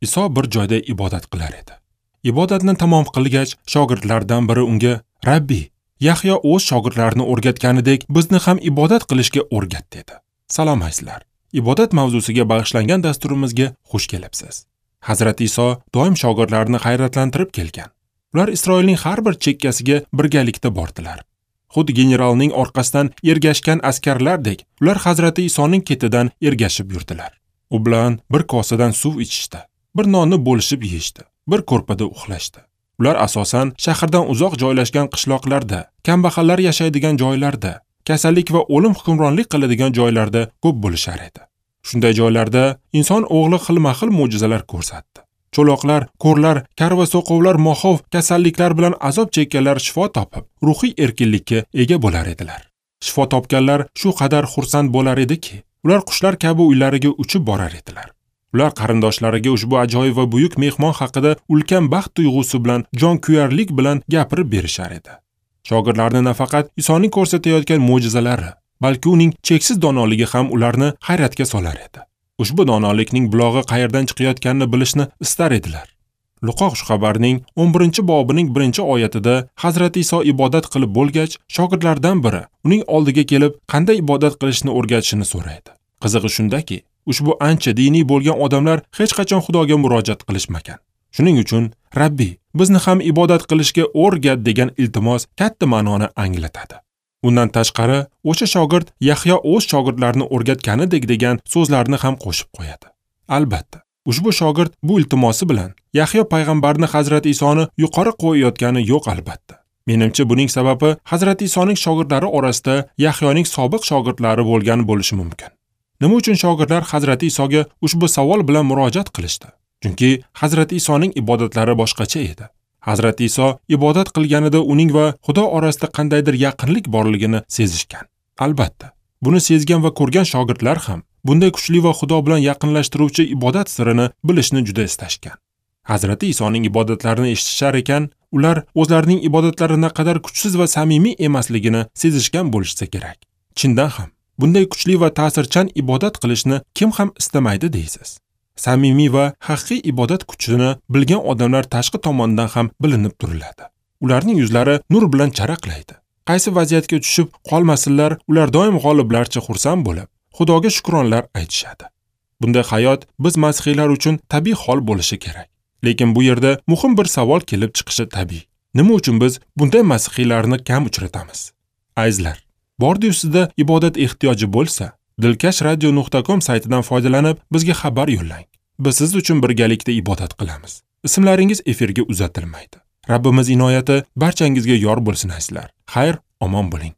Iso bir joyda ibodat qilar edi. Ibodatni tamom qilgach, shogirdlardan biri unga: "Rabbi, Yahyo o'z shogirdlarini o'rgatganidek, bizni ham ibodat qilishga o'rgat" dedi. Salom azizlar. Ibodat mavzusiga bag'ishlangan dasturimizga xush kelibsiz. Hazrati Iso doim shogirdlarini hayratlantirib kelgan. Ular Isroilning har bir chekkasiga birgalikda bordilar. Xuddi generalning orqasidan ergashgan askarlardek, ular Hazrati Isoning ketidan ergashib yurdilar. U bilan bir kosadan suv ichishdi, bir nonni bo'lishib yeyishdi, bir ko'rpada uxlashdi. Ular asosan shahardan uzoq joylashgan qishloqlarda, kambag'allar yashaydigan joylarda, kasallik va o'lim hukmronlik qiladigan joylarda ko'p bo'lishar edi. Shunday joylarda inson o'g'li xilma-xil mo'jizalar ko'rsatdi. Cho'loqlar, ko'rlar, kar va so'qovlar, moxov kasalliklar bilan azob chekkanlar shifo topib, ruhiy erkinlikka ega bo'lar edilar. Shifo topganlar shu qadar xursand bo'lar ediki, ular qushlar kabi uylariga uchib borar edilar. Ular qarindoshlariga ushbu ajoyib va buyuk mehmon haqida ulkan baxt tuyg'usi bilan, jonkuyarlik bilan gapirib berishar edi. Shogirdlarni nafaqat Isoning ko'rsatayotgan mo'jizalari, balki uning cheksiz donoligi ham ularni hayratga solar edi. Ushbu donolikning bulog'i qayerdan chiqayotganini bilishni istar edilar. Luqo xushxabarning 11-bobining 1-oyatida Hazrati Iso ibodat qilib bo'lgach, shogirdlardan biri uning oldiga kelib, qanday ibodat qilishni o'rgatishini so'raydi. Qizig'i shundaki, ushbu ancha diniy bo'lgan odamlar hech qachon Xudoga murojaat qilishmagan. Shuning uchun Rabbi, bizni ham ibodat qilishga o'rgat degan iltimos katta ma'noni anglatadi. Undan tashqari, o'sha shogird Yahyo o'z shogirdlarini o'rgatganidek degan so'zlarni ham qo'shib qo'yadi. Albatta, ushbu shogird bu iltimosi bilan Yahyo payg'ambarni Hazrati Isoni yuqori qo'yayotgani yo'q albatta. Menimcha, buning sababi Hazrati Isoning shogirdlari orasida Yahyoning sobiq shogirdlari bo'lgan bo'lishi mumkin. Nima uchun shogirdlar Hazrati Isoga ushbu savol bilan murojaat qilishdi? Chunki Hazrati Isoning ibodatlari boshqacha edi. Hazrati Iso ibodat qilganida uning va Xudo orasida qandaydir yaqinlik borligini sezishgan. Albatta, buni sezgan va ko'rgan shogirdlar ham bunday kuchli va Xudo bilan yaqinlashtiruvchi ibodat sirini bilishni juda istashgan. Hazrati Isoning ibodatlarini eshitishar ekan, ular o'zlarining ibodatlari naqadar kuchsiz va samimiy emasligini sezishgan bo'lishsa kerak. Chindan ham bunday kuchli va ta'sirchan ibodat qilishni kim ham istamaydi deysiz. Samimiy va haqiqiy ibodat kuchini bilgan odamlar tashqi tomondan ham bilinib turiladi. Ularning yuzlari nur bilan charaqlaydi. Qaysi vaziyatga tushib qolmasinlar, ular doim g'oliblarcha xursand bo'lib, Xudoga shukronlar aytishadi. Bunday hayot biz masihiylar uchun tabiiy hol bo'lishi kerak. Lekin bu yerda muhim bir savol kelib chiqishi tabiiy. Nima uchun biz bunday masihiylarni kam uchratamiz? Azizlar, bordi-yu sizda ibodat ehtiyoji bo'lsa, dilkashradio.com saytidan foydalanib bizga xabar yo'llang. Biz siz uchun birgalikda ibodat qilamiz. Ismlaringiz efirga uzatilmaydi. Rabbimiz inoyati barchangizga yor bo'lsin azizlar. Xayr, omon bo'ling.